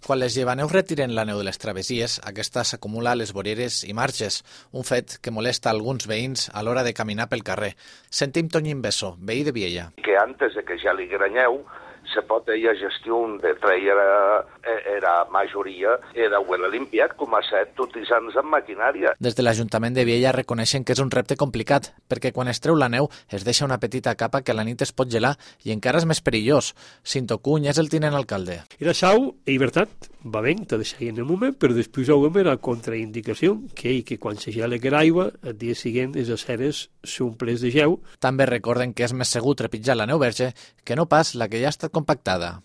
Quan les llevaneus retiren la neu de les travessies, aquesta s'acumula a les voreres i marges, un fet que molesta alguns veïns a l'hora de caminar pel carrer. Sentim Toñín Besso, veí de Viella. Que antes de que ja li granyeu, se pot ella gestión de traer era majoria era huele limpiat com a set utilitzant en maquinària. Des de l'Ajuntament de Viella reconeixen que és un repte complicat, perquè quan es treu la neu es deixa una petita capa que a la nit es pot gelar i encara és més perillós. Cinto Cuny és el tinent alcalde. I això, en veritat, va bé, te deixarien en un moment, però després ho la contraindicació, que quan se gela l'aigua, el dia següent les aceres s'omples de gel. També recorden que és més segur trepitjar la neu verge que no pas la que ja ha estat compactada.